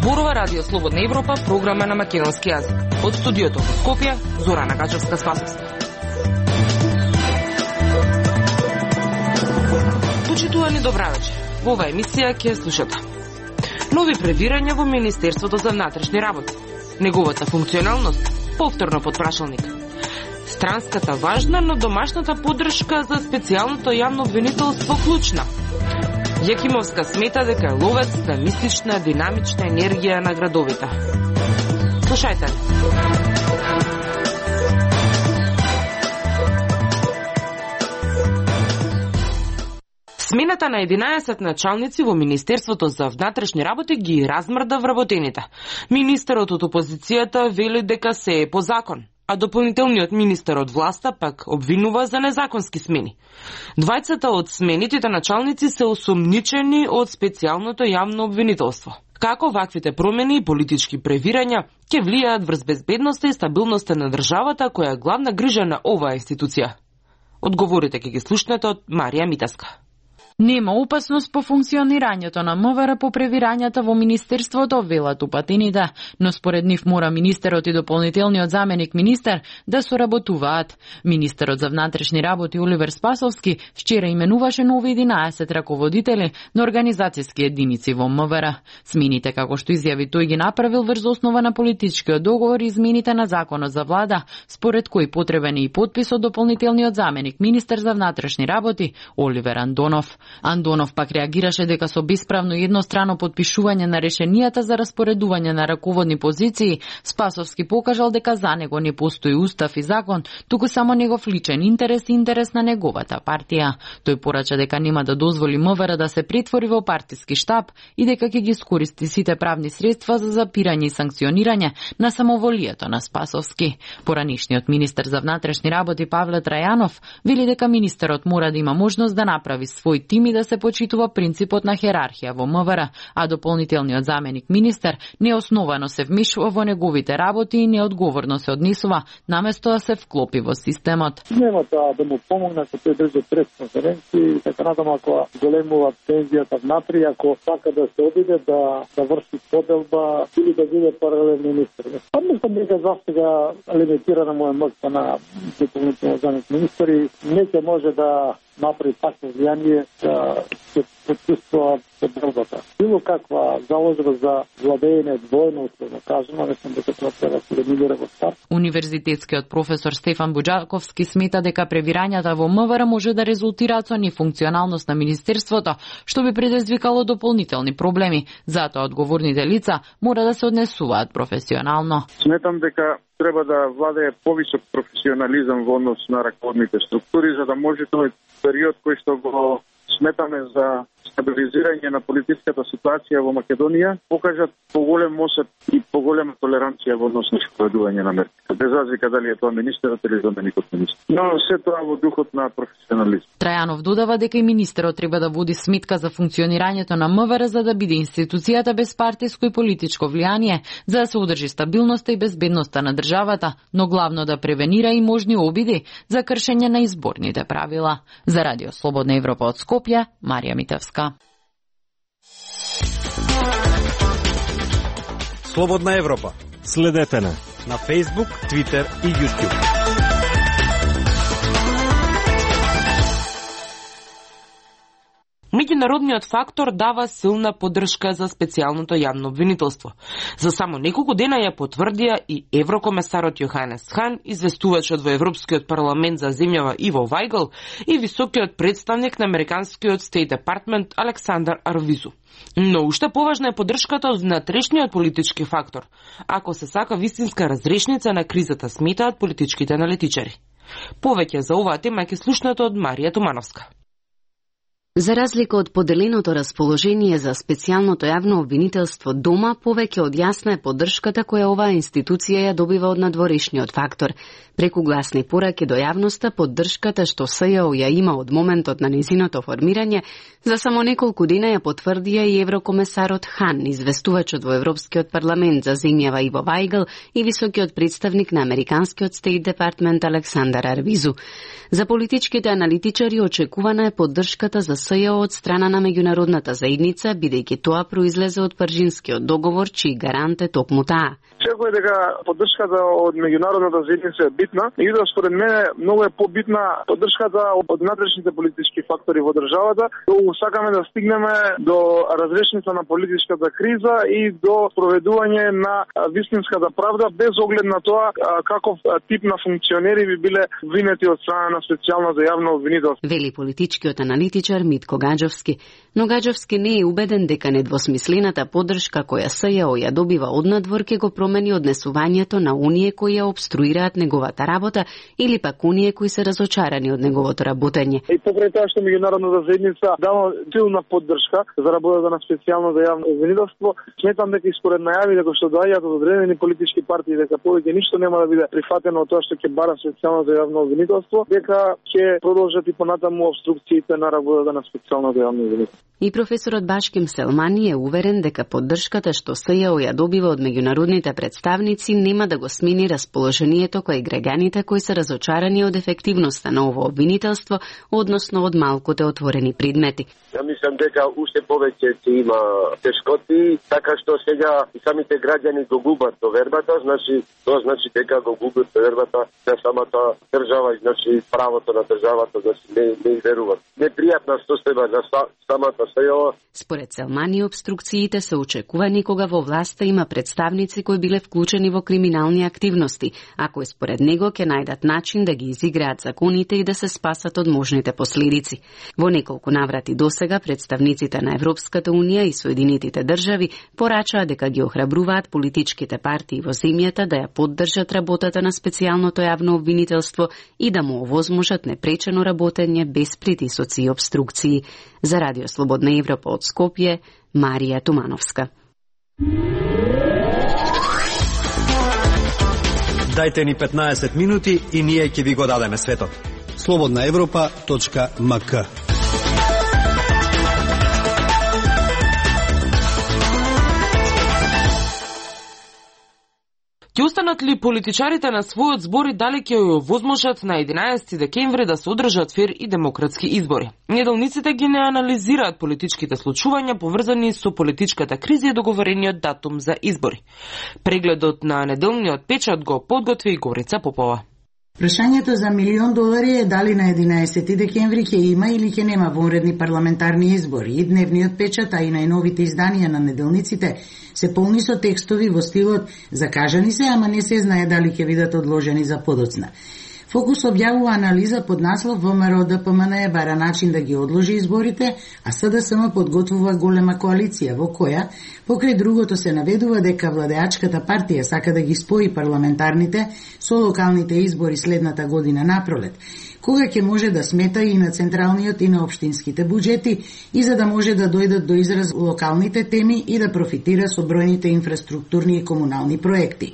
Зборува Радио Слободна Европа, програма на македонски јазик. Од студиото во Скопје, Зорана Гачевска-Спасовска. Почитувани, добра вечер. Во оваа емисија ќе слушате нови превирања во Министерството за внатрешни работи, неговата функционалност повторно под прашалник, странската важна, но домашната поддршка за специјалното јавно обвинителство клучна. Јакимовска смета дека е ловец на мистична, динамична енергија на градовите. Слушајте. Смената на 11 началници во Министерството за внатрешни работи ги размрда вработените. Министерот од опозицијата вели дека се е по закон, а дополнителниот министер од власта пак обвинува за незаконски смени. Двајцата од сменитите началници се осомничени од специјалното јавно обвинителство. Како ваквите промени и политички превирања ќе влијаат врз безбедноста и стабилноста на државата, која е главна грижа на оваа институција? Одговорите ќе ги слушнете од Марија Митевска. Нема опасност по функционирањето на МВР по превирањата во Министерството, велат упатените, но според нив мора министерот и дополнителниот заменик министер да соработуваат. Министерот за внатрешни работи Оливер Спасовски вчера именуваше нови 11 раководители на организацијски единици во МВР. Смените, како што изјави тој, ги направил врз основа на политичкиот договор и измените на законот за влада, според кој потребен е и подпис од дополнителниот заменик министер за внатрешни работи Оливер Андонов. Андонов пак реагираше дека со бесправно и еднострано подпишување на решенијата за распоредување на раководни позиции, Спасовски покажал дека за него не постои устав и закон, туку само негов личен интерес и интерес на неговата партија. Тој порача дека нема да дозволи МВР да се претвори во партиски штаб и дека ќе ги искористи сите правни средства за запирање и санкционирање на самоволието на Спасовски. Поранишниот министер за внатрешни работи Павле Трајанов вели дека министерот мора да има можност да направи свој тим и да се почитува принципот на херархија во МВР, а дополнителниот заменик министер неосновано се вмешува во неговите работи и неодговорно се однесува, наместо да се вклопи во системот. Нема да му помогне ако тој држи пресконференции, така надам ако големува пензијата внатри, ако сака да се обиде да врши поделба или да биде паралелен министер. Мислам дека застега лимитирана му е моќта на дополнителниот заменик министер и не ќе може да направи такво влијание да се почувствува поделбата. Било каква заложба за владење двојно, условно кажемо, мислам дека тоа треба да се елиминира во старт. Универзитетскиот професор Стефан Буџаковски смета дека превирањата во МВР може да резултираат со нефункционалност на министерството, што би предизвикало дополнителни проблеми. Затоа одговорните лица мора да се однесуваат професионално. Сметам дека треба да владее повисок професионализам во однос на раководните структури, за да може тој период кој што го сметаме за стабилизирање на политичката ситуација во Македонија, покажат поголем мосет и поголема толеранција во однос на спроведување на мерки. Без разлика дали е тоа министерот или заменикот министер. Но се тоа во духот на професионализм. Трајанов додава дека и министерот треба да води сметка за функционирањето на МВР за да биде институцијата без партиско и политичко влијание, за да се одржи стабилноста и безбедноста на државата, но главно да превенира и можни обиди за кршење на изборните правила. За Радио Слободна Европа од Скопје, Марија Митевска. Слободна Европа. Следете на Facebook, Twitter и YouTube. Меѓународниот фактор дава силна поддршка за специјалното јавно обвинителство. За само неколку дена ја потврдија и еврокомесарот Јоханес Хан, известувачот во Европскиот парламент за земјава Иво Вајгл и високиот представник на американскиот State Department Александар Арвизу. Но уште поважна е поддршката од внатрешниот политички фактор, ако се сака вистинска разрешница на кризата, сметаат политичките аналитичари. Повеќе за оваа тема ќе слушнете од Марија Тумановска. За разлика од поделеното расположение за специјалното јавно обвинителство дома, повеќе од јасна е поддршката која оваа институција ја добива од надворешниот фактор. Преку гласни пораки до јавноста, поддршката што СЈО ја има од моментот на незиното формирање, за само неколку дена ја потврдија и еврокомесарот Хан, известувачот во Европскиот парламент за земјава Иво Вајгл и високиот представник на американскиот State Department Александар Арвизу. За политичките аналитичари очекувана е поддршката за СЈО од страна на меѓународната заедница, бидејќи тоа произлезе од Паржинскиот договор, чиј гарант е токму таа. Секој дека поддршката од меѓународната заедница е битна, и да според мене многу е побитна поддршката од внатрешните политички фактори во државата. Сакаме да стигнеме до разрешница на политичката криза и до проведување на вистинската правда, без оглед на тоа каков тип на функционери би биле винети од страна на специјалното јавно обвинителство. Вели политичкиот аналитичар Митко Гаџовски. Но Гаџовски не е убеден дека недвосмислената поддршка која СЈО ја добива однадвор ќе го промени однесувањето на оние кои ја обструираат неговата работа или пак оние кои се разочарани од неговото работење. И покрај тоа што меѓународната заедница дава силна поддршка за работата на специјалното јавно обвинителство, сметам дека и според најави дека што доаѓаат од одредени политички партии дека повеќе ништо нема да биде прифатено од тоа што ќе бара специјалното јавно обвинителство, дека ќе продолжат и понатаму обструкциите на работата на специјалното јавно обвинителство. И професорот Башким Селмани е уверен дека поддршката што СЈО ја добива од меѓународните представници нема да го смени расположението кој граѓаните кои се разочарани од ефективноста на ово обвинителство, односно од малкуте отворени предмети. Ја мислам дека уште повеќе ќе има тешкоти, така што сега и самите граѓани го губат довербата, тоа значи дека го губат довербата на самата држава и значи правото на државата да не веруваат. Непријатна состојба за самата СЈО. Според Селмани, обструкциите се очекувани кога во власта има представници кои биле вклучени во криминални активности, а кои според него ќе најдат начин да ги изиграат законите и да се спасат од можните последици. Во неколку наврати досега представниците на Европската унија и Соединетите држави порачаа дека ги охрабруваат политичките партии во земјата да ја поддржат работата на специјалното јавно обвинителство и да му овозможат непречено работење без притисоци и обструкции. За Радио Слободна Европа од Скопје, Марија Тумановска. Дајте ни 15 минути и ние ќе ви го дадеме светот. slobodnaevropa.mk. Ќе останат ли политичарите на својот збор и дали ќе ја возможат на 11 декември да се одржат фер и демократски избори? Неделниците ги не анализираат политичките случувања поврзани со политичката криза и договорениот датум за избори. Прегледот на неделниот печат го подготви Горица Попова. Прашањето за $1.000.000 е дали на 11 декември ќе има или ќе нема вонредни парламентарни избори. И дневниот печат, а и најновите изданија на неделниците се полни со текстови во стилот закажани се, ама не се знае дали ќе бидат одложени за подоцна. Фокус објавува анализа под наслов ВМРО ДПМН бара начин да ги одложи изборите, а СДСМ подготвува голема коалиција во која, покрај другото се наведува дека владеачката партија сака да ги спои парламентарните со локалните избори следната година напролет, кога ќе може да смета и на централниот и на општинските буџети и за да може да дојдат до израз локалните теми и да профитира со бројните инфраструктурни и комунални проекти.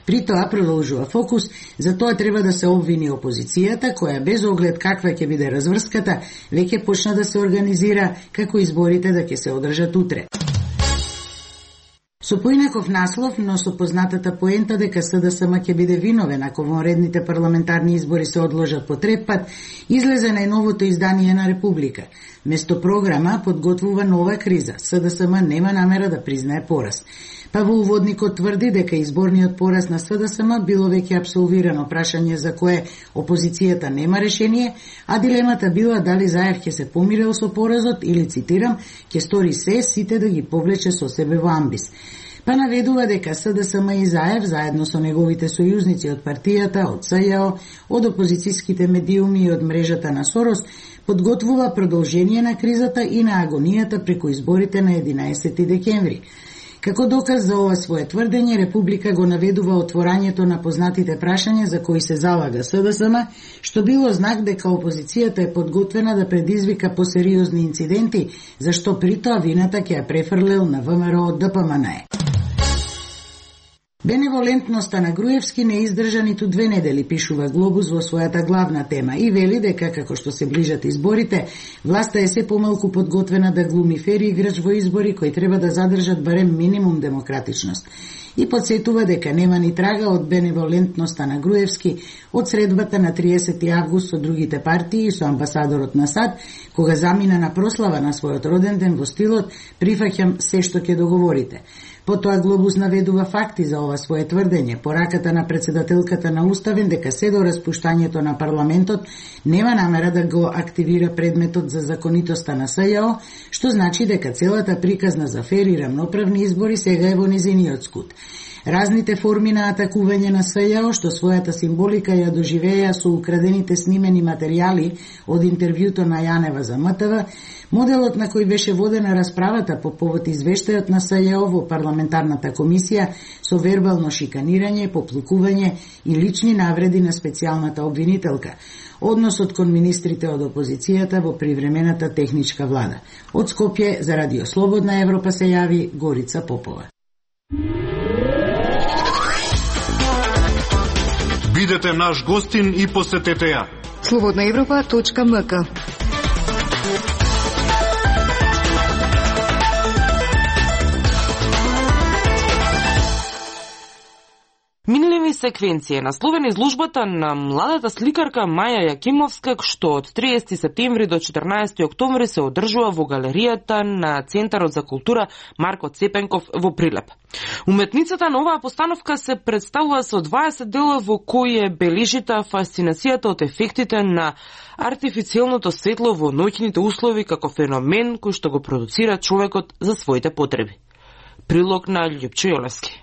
При тоа, продолжува Фокус, за тоа треба да се обвини опозицијата, која без оглед каква ќе биде разврската, веќе почна да се организира како изборите да ќе се одржат утре. Со поинаков наслов, но со познатата поента дека СДСМ ќе биде виновен ако вонредните парламентарни избори се одложат по трет пат, излезе најновото издание на Република. Место програма подготвува нова криза. СДСМ нема намера да признае пораз. Па во уводникот тврди дека изборниот пораз на СДСМ било веќе апсолвирано, прашање за кое опозицијата нема решение, а дилемата била дали Заев ќе се помирил со поразот или, цитирам, ќе стори се сите да ги повлече со себе во амбис. Па наведува дека СДСМ и Заев, заедно со неговите сојузници од партијата, од СЈО, од опозицијските медиуми и од мрежата на Сорос, подготвува продолжение на кризата и на агонијата преку изборите на 11 декември. Како доказ за ова свое тврдење, Република го наведува отворањето на познатите прашања за кои се залага СДСМ, што било знак дека опозицијата е подготвена да предизвика посериозни инциденти, зашто при тоа вината ќе ја префрлил на ВМРО ДПМН. Беневолентноста на Груевски не издржа ниту 2 недели, пишува Глобус во својата главна тема и вели дека, како што се ближат изборите, власта е се помалку подготвена да глуми фери играч во избори кои треба да задржат барем минимум демократичност. И подсетува дека нема ни трага од беневолентноста на Груевски од средбата на 30 август со другите партии и со амбасадорот на САД, кога замина на прослава на својот роден ден во стилот "Прифаќам се што ќе договорите". Потоа Глобус наведува факти за ова свое тврдење. Пораката на председателката на Уставен дека се до распуштањето на парламентот нема намера да го активира предметот за законитоста на СЈО, што значи дека целата приказна за фер и рамноправни избори сега е во низиниот скут. Разните форми на атакување на СЈО, што својата символика ја доживеа со украдените снимени материјали од интервјуто на Јанева за МТВ, моделот на кој беше водена расправата по повод извештајот на СЈО во парламентарната комисија со вербално шиканирање, поплукување и лични навреди на специјалната обвинителка, односот кон министрите од опозицијата во привремената техничка влада. Од Скопје за Радио Слободна Европа се јави Горица Попова. Бидете наш гостин и посетете ја. slobodnaevropa.mk. Минливи секвенција насловена изложбата на младата сликарка Маја Јакимовска, што од 30 септември до 14 октомври се одржува во галеријата на Центарот за култура Марко Цепенков во Прилеп. Уметницата на оваа постановка се представува со 20 дела во кои е бележита фасцинацијата од ефектите на артифицијалното светло во ноќните услови како феномен кој што го продуцира човекот за своите потреби. Прилог на Љупчо Јолевски.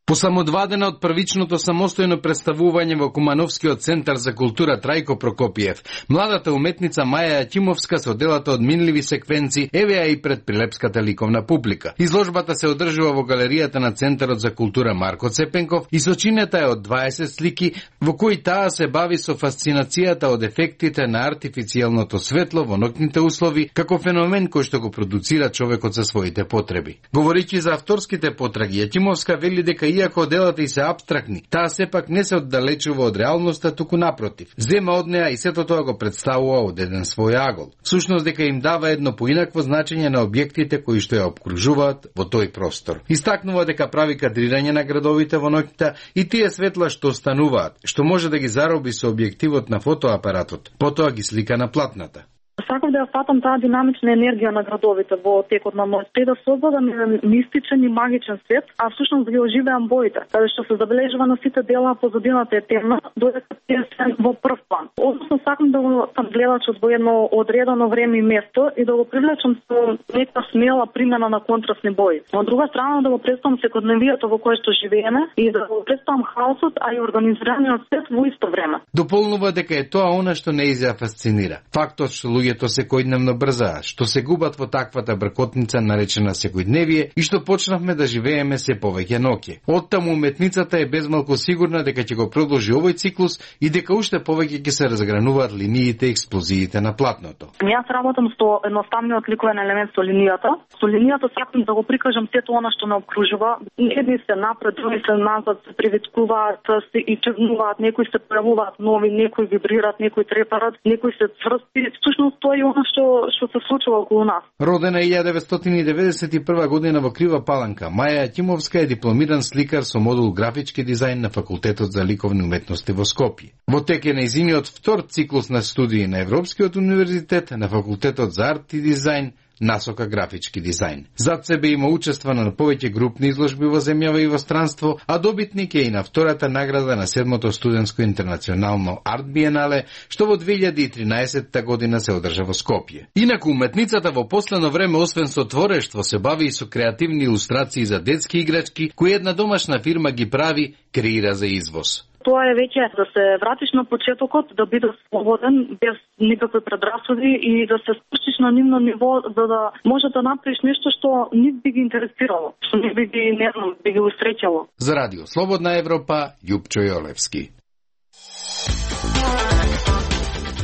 По само 2 дена од првичното самостојно представување во Кумановскиот центар за култура Трајко Прокопиев, младата уметница Маја Јакимовска со делата од минливи секвенци евеа и пред прилепската ликовна публика. Изложбата се одржува во галеријата на Центарот за култура Марко Цепенков и сочинета е од 20 слики во кои таа се бави со фасцинацијата од ефектите на артифицијалното светло во ноќните услови како феномен кој што го продуцира човекот за своите потреби. Говорејќи за авторските потраги, Јакимовска вели дека иако делата и се апстрактни, таа сепак не се оддалечува од реалноста, туку напротив. Зема од неа и сето тоа го представува од еден свој агол. Всушност дека им дава едно поинакво значење на објектите кои што ја обкружуваат во тој простор. Истакнува дека прави кадрирање на градовите во ноќта и тие светла што остануваат, што може да ги зароби со објективот на фотоапаратот, потоа ги слика на платната. Сакав да ја фатам таа динамична енергија на градовите во текот на мојот да создадам мистичен и магичен свет, а всушност ги оживеам боите, каде што се забележува на сите дела позадината е темна, додека тие се во прв план. Односно сакам да го фатам гледачот во едно одредено време и место и да го привлечам со нека смела примена на контрастни бои. Од друга страна да го представам секојдневието во кое што живееме и да го представам хаосот, а и организираниот свет во исто време. Дополнува дека е тоа она што не ја фасцинира. Фактот што луѓето секојдневно брзаат, што се губат во таквата бркотница наречена секојдневие и што почнавме да живееме се повеќе ноќе. Оттаму уметницата е безмалку сигурна дека ќе го продолжи овој циклус и дека уште повеќе ќе се разгрануваат линиите и експлозиите на платното. Јас работам со едноставниот ликовен елемент со линијата. Со линијата сакам да го прикажам сето она што ме обкружува. Едни се напред, други се назад, се привичкуваат, се и чувнуваат, некои се појавуваат нови, некои вибрираат, некои трепарат, некои се цврсти. Всушност тоа е она што се случува околу нас. Родена 1991 година во Крива Паланка, Маја Јакимовска е дипломиран сликар со модул графички дизајн на Факултетот за ликовни уметности во Скопје. Во тек е нејзиниот втор циклус на студии на Европскиот универзитет на Факултетот за арт и дизајн насока графички дизајн. Зад себе има учества на повеќе групни изложби во земјава и во странство, а добитник е и на втората награда на 7-то студентско интернационално арт биенале, што во 2013 година се одржа во Скопје. Инаку уметницата во последно време освен со творештво се бави и со креативни илустрации за детски играчки, кои една домашна фирма ги прави, креира за извоз. Тоа е веќе да се вратиш на почетокот, да бидеш слободен, без никакви предрасуди и да се спуштиш на нивно ниво, за да може да направиш нешто што нив би ги интересирало, што нив би ги, не знам, би ги усреќало. За Радио Слободна Европа, Љупчо Јолевски.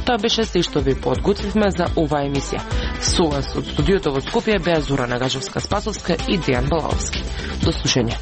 Тоа беше се што ви подготвивме за оваа емисија. Со вас од студиото во Скопје беа Зора Нагажевска-Спасовска и Дејан Балаовски. До слушање.